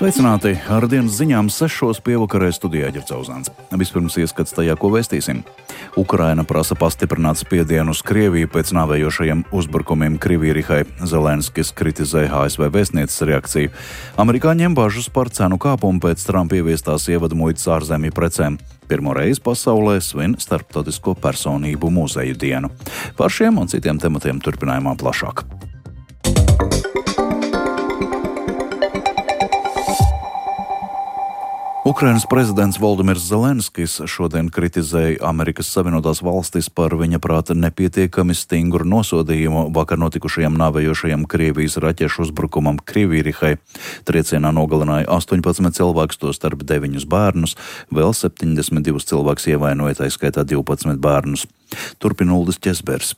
Sveicināti! Ar dienas ziņām 6 pievakarē studijā Ģerts Auzāns. Vispirms ieskats tajā, ko vēstīsim. Ukraina prasa pastiprināt spiedienu uz Krieviju pēc nāvējošajiem uzbrukumiem Krievijai. Zelenskis kritizē ASV vēstnieces reakciju. Amerikāņiem bažas par cenu kāpumu pēc Trumpa ieviestās ievadmuitas ārzemju precēm. Pirmo reizi pasaulē svin Starptautisko personību muzeju dienu. Par šiem un citiem tematiem turpinājumā plašāk. Ukrainas prezidents Voldimirs Zelenskis šodien kritizēja Amerikas Savienotās valstis par viņa prāta nepietiekami stingru nosodījumu vakar notikušajam nāvējošajam Krievijas raķešu uzbrukumam Krievijai. Triecienā nogalināja 18 cilvēkus, tostarp 9 bērnus, vēl 72 cilvēkus ievainoja, tā skaitā 12 bērnus. Turpina Uldis Ķesbergs.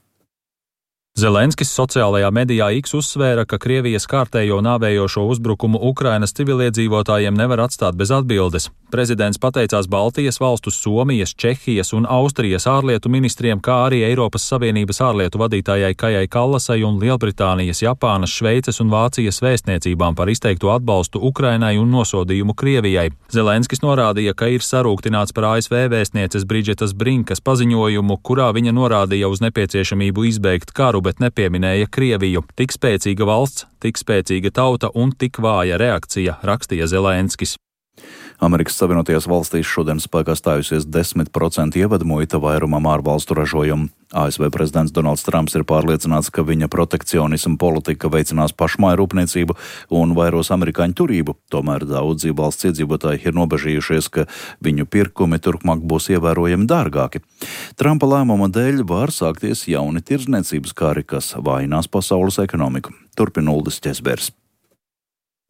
Zelenskis sociālajā medijā X uzsvēra, ka Krievijas kārtējo nāvējošo uzbrukumu Ukrainas civiliedzīvotājiem nevar atstāt bez atbildes. Prezidents pateicās Baltijas valstu, Somijas, Čehijas un Austrijas ārlietu ministriem, kā arī Eiropas Savienības ārlietu vadītājai Kajai Kallasai un Lielbritānijas, Japānas, Šveices un Vācijas vēstniecībām par izteikto atbalstu Ukrainai un nosodījumu Krievijai. Zelenskis norādīja, ka ir sarūktināts par ASV vēstnieces Bridžetas Brinkas paziņojumu, kurā viņa norādīja uz nepieciešamību izbeigt karu, bet nepieminēja Krieviju. Tik spēcīga valsts, tik spēcīga tauta un tik vāja reakcija, rakstīja Zelenskis. Amerikas Savienotajās valstīs šodien spēkā stājusies 10% ievadmuita vairumam ārvalstu ražojumu. ASV prezidents Donalds Trumps ir pārliecināts, ka viņa protekcionisma politika veicinās pašmāju rūpniecību un vairos amerikāņu turību. Tomēr daudzi valsts iedzīvotāji ir nobežījušies, ka viņu pirkumi turpmāk būs ievērojami dārgāki. Trumpa lēmuma dēļ var sākties jauni tirdzniecības kari, kas vājinās pasaules ekonomiku. Turpina Uldis Ķesbergs.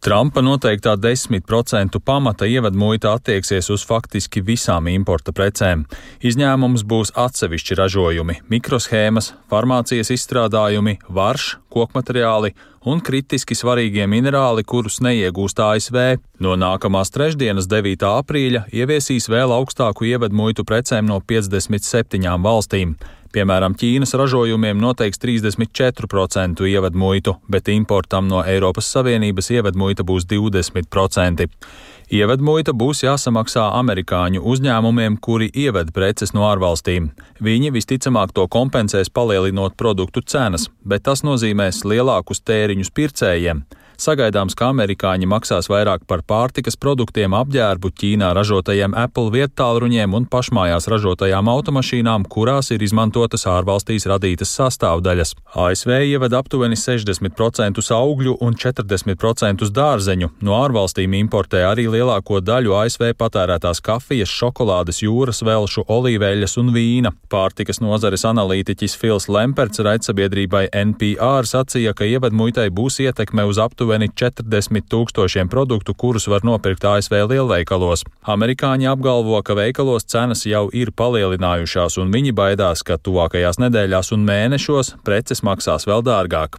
Trumpa noteiktā 10% pamata ievadmuita attieksies uz faktiski visām importa precēm. Izņēmums būs atsevišķi ražojumi, mikroshēmas, farmācijas izstrādājumi, varš, kokmateriāli un kritiski svarīgie minerāli, kurus neiegūst ASV. No nākamās trešdienas 9. aprīļa ieviesīs vēl augstāku ievadmuitu precēm no 57 valstīm. Piemēram, Ķīnas ražojumiem noteiks 34% ievadmuitu, bet importam no Eiropas Savienības ievadmuita būs 20%. Ievadmuita būs jāsamaksā amerikāņu uzņēmumiem, kuri ieved preces no ārvalstīm. Viņi visticamāk to kompensēs palielinot produktu cenas, bet tas nozīmēs lielākus tēriņus pircējiem. Sagaidāms, ka amerikāņi maksās vairāk par pārtikas produktiem, apģērbu, Ķīnā ražotajiem Apple viedtālruņiem un pašmājās ražotajām automašīnām, kurās ir izmantotas ārvalstīs radītas sastāvdaļas. ASV ieved aptuveni 60% augļu un 40% dārzeņu. No ārvalstīm importē arī lielāko daļu ASV patērētās kafijas, šokolādes, jūras velšu, olīveļas un vīna. Pārtikas nozares analītiķis Fils Lemperts raidsabiedrībai NPR sacīja, ka ievadmuitai būs ietekme uz aptuveni 40 000 produktu, kurus var nopirkt ASV lielveikalos. Amerikāņi apgalvo, ka veikalos cenas jau ir palielinājušās, un viņi baidās, ka tuvākajās nedēļās un mēnešos preces maksās vēl dārgāk.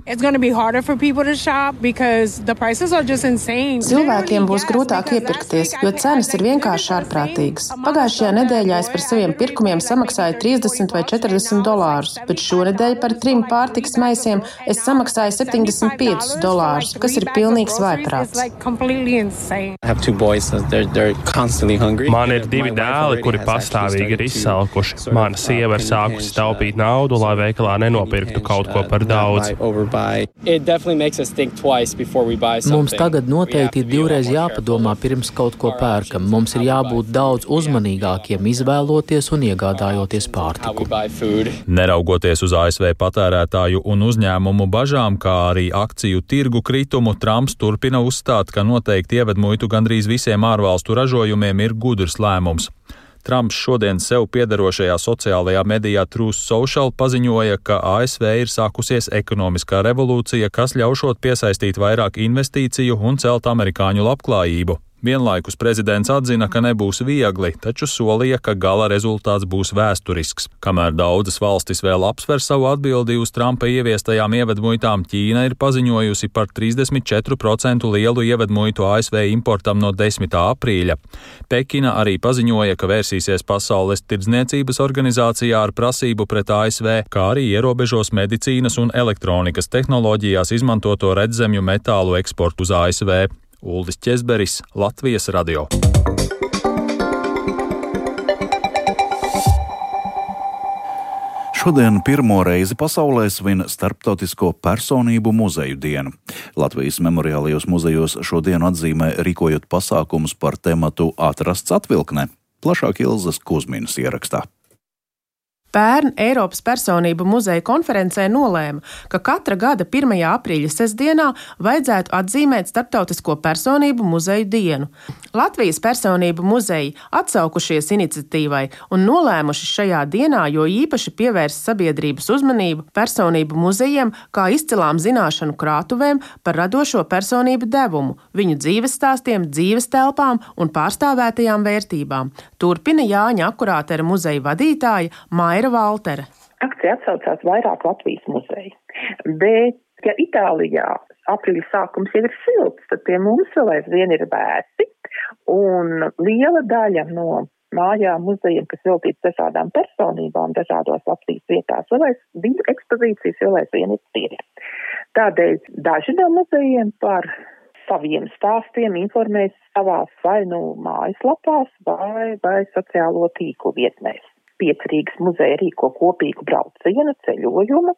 Cilvēkiem būs grūtāk iepirkties, jo cenas ir vienkārši ārprātīgas. Pagājušajā nedēļā es par saviem pirkumiem samaksāju $30 vai $40, bet šonedēļ par 3 pārtikas maisiem es samaksāju $75, kas ir pilnīgs vājprāts. Man ir 2 dēli, kuri pastāvīgi ir izsalkuši. Mana sieva ir sākusi taupīt naudu, lai veikalā nenopirktu kaut ko par daudz. Mums tagad noteikti ir 2 reizes jāpadomā pirms kaut ko pērkam. Mums ir jābūt daudz uzmanīgākiem, izvēloties un iegādājoties pārtiku. Neraugoties uz ASV patērētāju un uzņēmumu bažām, kā arī akciju tirgu kritumu, Trumps turpina uzstāt, ka noteikti ievadmuitu gandrīz visiem ārvalstu ražojumiem ir gudrs lēmums. Trumps šodien sev piederošajā sociālajā medijā Truth Social paziņoja, ka ASV ir sākusies ekonomiskā revolūcija, kas ļaušot piesaistīt vairāk investīciju un celt amerikāņu labklājību. Vienlaikus prezidents atzina, ka nebūs viegli, taču solīja, ka gala rezultāts būs vēsturisks. Kamēr daudzas valstis vēl apsver savu atbildi uz Trumpa ieviestajām ievadmuitām, Ķīna ir paziņojusi par 34% lielu ievadmuitu ASV importam no 10. aprīļa. Pekina arī paziņoja, ka vērsīsies Pasaules tirdzniecības organizācijā ar prasību pret ASV, kā arī ierobežos medicīnas un elektronikas tehnoloģijās izmantoto redzemju metālu eksportu uz ASV. Uldis Ķezberis, Latvijas radio. Šodien pirmo reizi pasaulē svin Starptautisko personību muzeju dienu. Latvijas memoriālajos muzejos šodienu atzīmē rīkojot pasākumus par tematu Atrasts atvilknē. Plašāk Ilzas Kuzminas ierakstā. Pērn Eiropas personību muzeja konferencē nolēma, ka katra gada 1. aprīļa sestdienā vajadzētu atzīmēt Starptautisko personību muzeju dienu. Latvijas personību muzeji atsaukušies iniciatīvai un nolēmuši šajā dienā jo īpaši pievērst sabiedrības uzmanību personību muzejiem kā izcilām zināšanu krātuvēm par radošo personību devumu, viņu dzīves stāstiem, dzīves telpām un pārstāvētajām vērtībām. Turpina Jāņa Akurātera muzeja vadītāja Maira Valtere. Akcija atsaucās vairāk Latvijas muzeju, bet, ja Itālijā aprīļa sākums jau ir silts, tad pie mums vēl aizvien ir vēsi, un liela daļa no mājām muzejiem, kas veltīts dažādām personībām, dažādos Latvijas vietās, viņu ekspozīcijas vēl aizvien ir tīri. Tādēļ daži no muzejiem par saviem stāstiem informēs savās vai mājaslapās vai sociālo tīklu vietnēs. 5 Rīgas muzeja rīko kopīgu braucienu ceļojumu,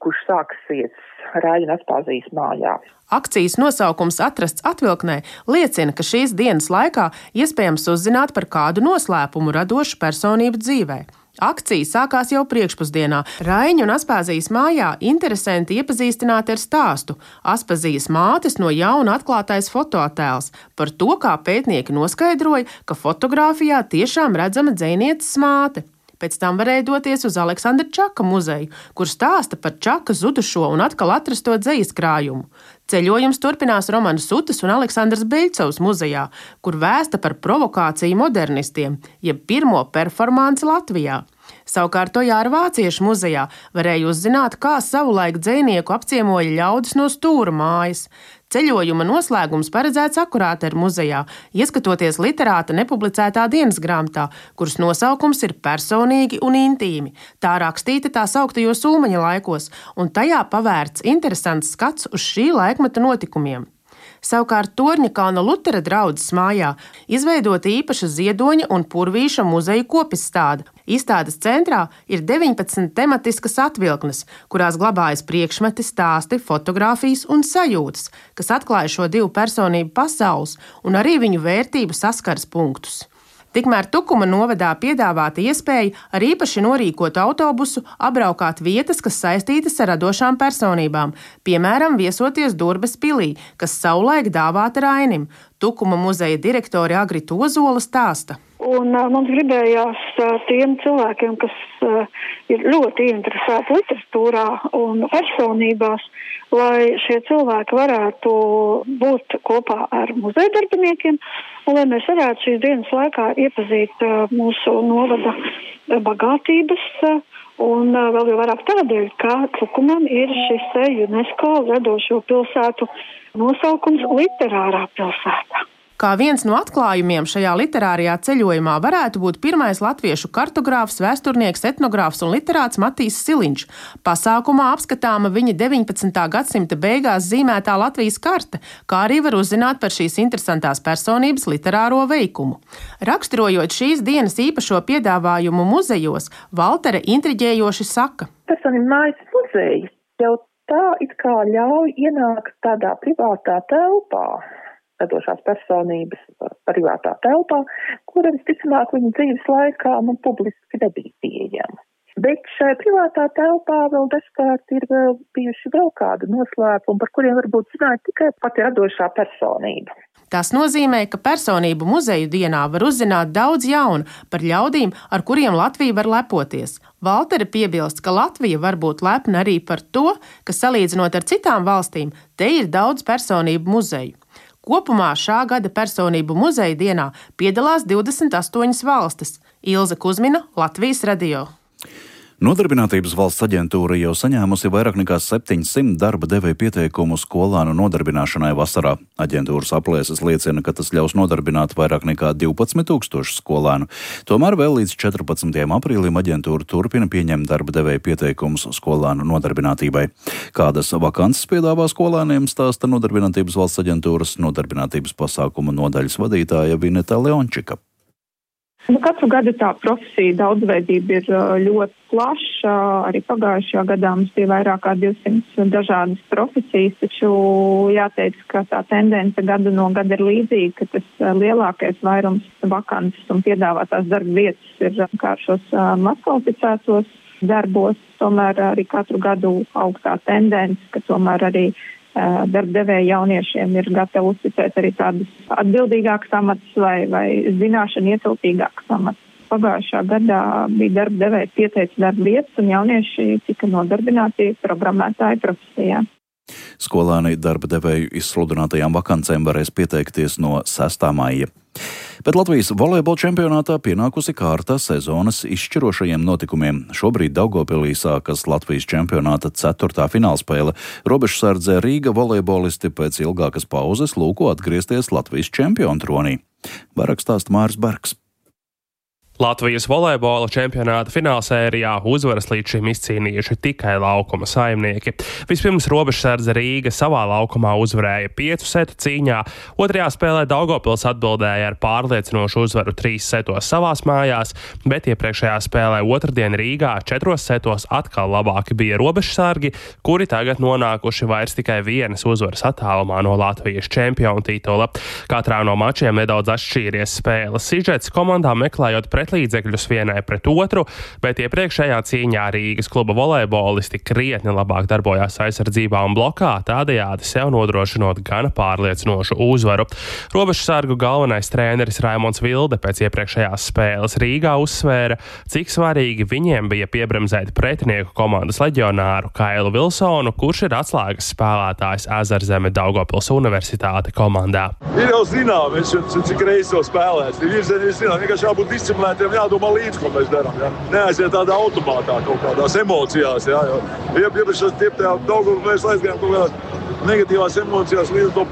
kurš sāksies Rāļu un Aspāzijas mājā. Akcijas nosaukums Atrasts atvilknē liecina, ka šīs dienas laikā iespējams uzzināt par kādu noslēpumu radošu personību dzīvē. Akcija sākās jau priekšpusdienā. Raiņu un Aspāzijas mājā interesanti iepazīstināti ar stāstu Aspāzijas mātes no jauna atklātais fotoattēls par to, kā pētnieki noskaidroja, ka fotogrāfijā tiešām redzama dzejnieces māte. Pēc tam varēja doties uz Aleksandra Čaka muzeju, kur stāsta par Čaka zudušo un atkal atrasto dzejas krājumu. Ceļojums turpinās Romanas Sutas un Aleksandras Beļcovas muzejā, kur vēsta par provokāciju modernistiem, jeb pirmo performanci Latvijā. Savukārt Tojāra Vāciešu muzejā varēja uzzināt, kā savulaik dzejnieku apciemoja ļaudis no Stūra mājas. Ceļojuma noslēgums paredzēts Akurātera muzejā, ieskatoties literāta nepublicētā dienas grāmatā, kuras nosaukums ir personīgi un intīmi. Tā rakstīta tā sauktajos Ulmaņa laikos, un tajā pavērts interesants skats uz šī laikmeta notikumiem. Savukārt Torņakalna Lutera draudzes mājā izveidota īpaša Ziedoņa un Purvīša muzeja kopistāde. Izstādes centrā ir 19 tematiskas atvilknes, kurās glabājas priekšmeti, stāsti, fotogrāfijas un sajūtas, kas atklāja šo divu personību pasaules un arī viņu vērtību saskars punktus. Tikmēr Tukuma novadā piedāvāta iespēja ar īpaši norīkotu autobusu apbraukāt vietas, kas saistītas ar radošām personībām, piemēram, viesoties Durbes pilī, kas savulaik dāvāta Rainim. Tukuma muzeja direktore Agrita Ozola stāsta. Un mums gribējās tiem cilvēkiem, kas ir ļoti interesēti literatūrā un personībās, lai šie cilvēki varētu būt kopā ar muzeja darbiniekiem un lai mēs varētu šīs dienas laikā iepazīt mūsu novada bagātības un vēl jau vairāk tādēļ, ka Tukumam ir šis UNESCO radošo pilsētu nosaukums literārā pilsēta. Kā viens no atklājumiem šajā literārajā ceļojumā varētu būt pirmais latviešu kartogrāfs, vēsturnieks, etnogrāfs un literāts Matīs Siliņš. Pasākumā apskatāma viņa 19. gadsimta beigās zīmētā Latvijas karte, kā arī var uzzināt par šīs interesantās personības literāro veikumu. Raksturojot šīs dienas īpašo piedāvājumu muzejos, Valtere intriģējoši saka. Personību mājas muzeja jau tā it kā ļauj ienākt tādā privātā telpā. Radošās personības privātā telpā, kura visticamāk viņa dzīves laikā publiski nebija pieejama. Bet šai privātā telpā vēl dažkārt ir bijuši vēl kādu noslēpumu, par kuriem varbūt zināja tikai pati radošā personība. Tas nozīmē, ka personību muzeju dienā var uzzināt daudz jaunu par ļaudīm, ar kuriem Latvija var lepoties. Valtere piebilst, ka Latvija var būt lepna arī par to, ka salīdzinot ar citām valstīm, te ir daudz personību muzeju. Kopumā šā gada personību muzeja dienā piedalās 28 valstis. Ilze Kuzmina, Latvijas radio. Nodarbinātības valsts aģentūra jau saņēmusi vairāk nekā 700 darba devēja pieteikumu skolānu nodarbināšanai vasarā. Aģentūras aplēses liecina, ka tas ļaus nodarbināt vairāk nekā 12 000 skolānu. Tomēr vēl līdz 14. aprīlim aģentūra turpina pieņemt darba devēja pieteikumus skolānu nodarbinātībai. Kādas vakances piedāvā skolāniem, stāsta Nodarbinātības valsts aģentūras nodarbinātības pasākumu nodaļas vadītāja Vineta Leončika. Katru gadu tā profesija daudzveidība ir ļoti plaša. Arī pagājušajā gadā mums bija vairāk kā 200 dažādas profesijas, taču jāteic, ka tā tendence gadu no gada ir līdzīga, ka tas lielākais vairums vakances un piedāvātās darba vietas ir kā šos mazkvalificētos darbos. Tomēr arī katru gadu augstā tendence, ka tomēr arī darbdevēji jauniešiem ir gatavi uzticēt arī tādus atbildīgākus amatus vai zināšanu ietilpīgākus amatus. Pagājušā gadā bija darbdevēji pieteica darba vietas un jaunieši tika nodarbināti programmētāju profesijā. Skolāni darba devēju izsludinātajām vakancēm varēs pieteikties no 6. maija. Bet Latvijas volejbola čempionātā pienākusi kārta sezonas izšķirošajiem notikumiem. Šobrīd Daugavpilī sākas Latvijas čempionāta 4. finālspēle. Robežsardze Rīga volejbolisti pēc ilgākas pauzes lūko atgriezties Latvijas čempionu tronī. Vairāk stāsta Māris Bergs. Latvijas volejbola čempionāta finālsērijā uzvaras līdz šim izcīnījuši tikai laukuma saimnieki. Vispirms Robežsardze Rīga savā laukumā uzvarēja 5 setu cīņā, otrajā spēlē Daugavpils atbildēja ar pārliecinošu uzvaru 3 setos savās mājās, bet iepriekšējā spēlē otrdien Rīgā 4 setos atkal labāki bija Robežsargi, kuri tagad nonākuši vairs tikai vienas uzvaras attālumā no Latvijas čempionu titula. Katrā no mačiem nedaudz atšķīries spēles sižets, komandām meklējot pretlīdzekļus vienai pret otru, bet iepriekšējā cīņā Rīgas kluba volejbolisti krietni labāk darbojās aizsardzībā un blokā, tādējādi sev nodrošinot gana pārliecinošu uzvaru. Robežsargu galvenais treneris Raimonds Vilde pēc iepriekšējās spēles Rīgā uzsvēra, cik svarīgi viņiem bija piebremzēt pretinieku komandas leģionāru Kailu Vilsonu, kurš ir atslēgas spēlētājs Ezerzeme Daugavpils Universitāte komandā. Ir jau zinām, cik reizes jau spēlēs. Ir zinām, vienkārši jābūt disciplinētiem, jādomā līdz, ko mēs darām. Ja? Neaiziet tādā automātā, kaut kādās emocijās. Ja? Iepriekš Daugavpils mēs aizgājām kaut kādās negatīvās emocijās, līdz to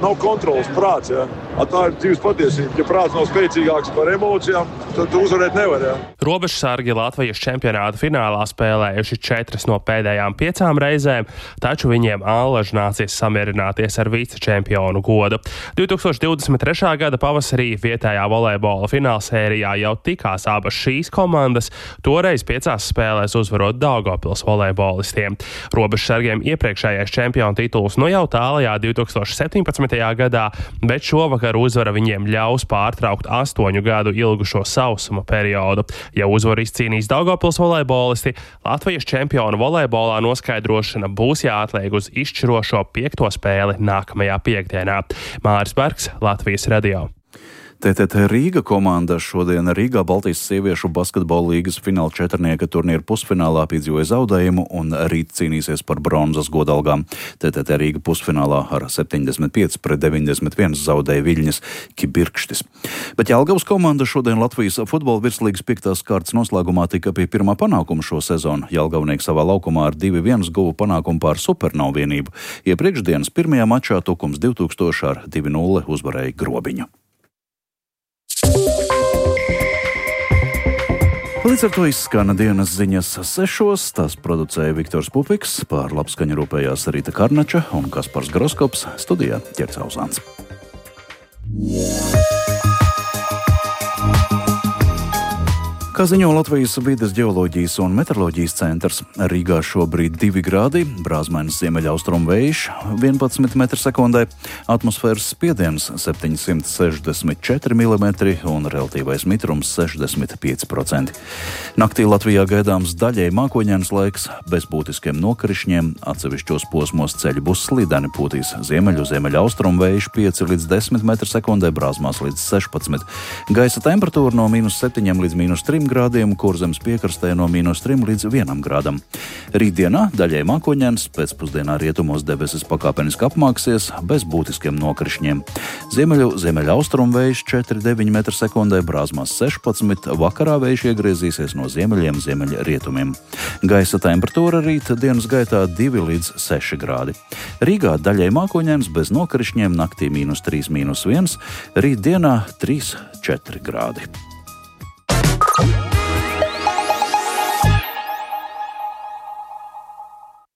nav kontrolas prāts. Ja? Tā ir dzīves patiesība. Ja prāts nav spēcīgāks par emocijām, tad tu uzvarēt nevar. Ja? Robežsargi Latvijas čempionāta finālā spēlējuši 4 no pēdējām 5 reizēm, taču viņiem allaž nācies samierināties ar vicečempionu godu. 2023. gada pavasarī vietējā volejbola finālsērijā jau tikās abas šīs komandas, toreiz 5 spēlēs uzvarot Daugavpils volejbolistiem. Robežsargiem iepriekšējais čempionu tituls jau tālajā 2017. gadā, bet šovakar uzvara viņiem ļaus pārtraukt 8 gadu ilgušo sausuma periodu. Ja uzvaru izcīnīs Daugavpils volejbolisti, Latvijas čempionu volejbolā noskaidrošana būs jāatliek uz izšķirošo 5. spēli nākamajā piekdienā. Māris Bergs, Latvijas radio. TTT Rīga komanda šodien Rīgā Baltijas sieviešu basketbola līgas fināla četrnieka turnīra pusfinālā piedzīvoja zaudējumu un rīt cīnīsies par bronzas godalgām. TTT Rīga pusfinālā ar 75-91 zaudēja Viļņas Kibirkštis. Bet Jelgavas komanda šodien Latvijas futbola virslīgas 5. kārtas noslēgumā tika pie pirmā panākuma šo sezonu. Jelgavnieki savā laukumā ar 2-1 guva panākumu pār Supernovu vienību. Iepriekšdienas pirmajā mačā Tukums 2000 ar 2-0 uzvarēja Grobiņu. Līdz ar to izskana dienas ziņas 6. Tās producēja Viktors Pupiks, pār labskaņu rūpējās Rīta Karnača un Kaspars Groskops, studijā Ķerts Auzāns. Kā ziņo Latvijas vides ģeoloģijas un meteoroloģijas centrs, Rīgā šobrīd 2 grādi, brāzmainas ziemeļaustrumu vējš 11 m/sekundē, atmosfēras spiediens 764 mm un relatīvais mitrums 65%. Naktī Latvijā gaidāms daļēji mākoņains laiks, bez būtiskiem nokrišņiem, atsevišķos posmos ceļi būs slideni, pūtīs ziemeļaustrumu vējš 5 līdz 10 m/sekundē, brāzmās līdz 16. Gaisa temperatūra no -7 līdz -3 grādiem, Kurzemes piekrastē no -3 līdz 1 grādam. Rītdienā daļai mākoņains, pēcpusdienā rietumos debesis pakāpeniski apmāksies, bez būtiskiem nokrišņiem. Ziemeļaustrumu vējš 4,9 m/sekundē, Brāzmās 16, vakarā vējš iegriezīsies no ziemeļiem, ziemeļrietumiem. Gaisa temperatūra rīt dienas gaitā 2 līdz 6 grādi. Rīgā daļai mākoņains bez nokrišņiem, naktī -3, -1, rīt dienā 3,4 grādi.